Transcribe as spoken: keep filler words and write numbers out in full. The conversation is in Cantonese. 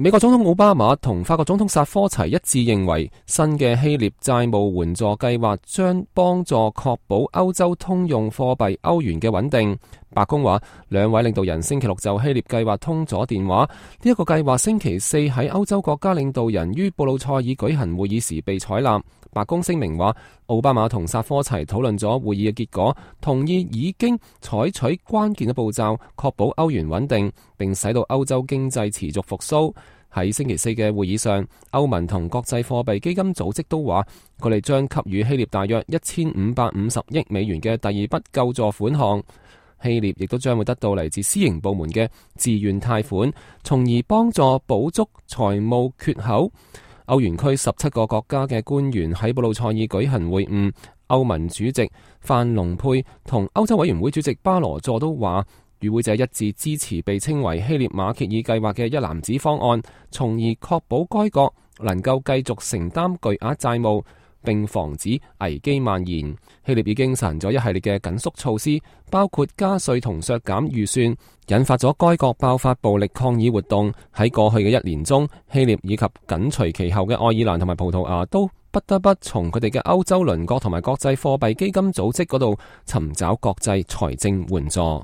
美國總統奧巴馬同法國總統薩科齊一致認為，新嘅希臘債務援助計劃將幫助確保歐洲通用貨幣歐元嘅穩定。白宮話，兩位領導人星期六就希臘計劃通咗電話。呢一個計劃星期四喺歐洲國家領導人於布魯塞爾舉行會議時被採納。白宮聲明話，奧巴馬同薩科齊討論咗會議嘅結果，同意已經採取關鍵嘅步驟，確保歐元穩定，並使到歐洲經濟持續復甦。喺星期四嘅會議上，歐盟同國際貨幣基金組織都話，佢哋將給予希臘大約一千五百五十億美元嘅第二筆救助款項。希臘亦都將會得到嚟自私營部門嘅自願貸款，從而幫助補足財務缺口。歐元區十七個國家嘅官員喺布魯塞爾舉行會晤，歐盟主席范龍佩同歐洲委員會主席巴羅佐都話，與會者一致支持被稱為希臘馬歇爾計劃嘅一籃子方案，從而確保該國能夠繼續承擔巨額債務，並防止危機蔓延。希臘已經實行咗一系列嘅緊縮措施，包括加稅同削減預算，引發咗該國爆發暴力抗議活動。喺過去嘅一年中，希臘以及緊隨其後嘅愛爾蘭同埋葡萄牙都不得不從佢哋嘅歐洲鄰國同埋國際貨幣基金組織嗰度尋找國際財政援助。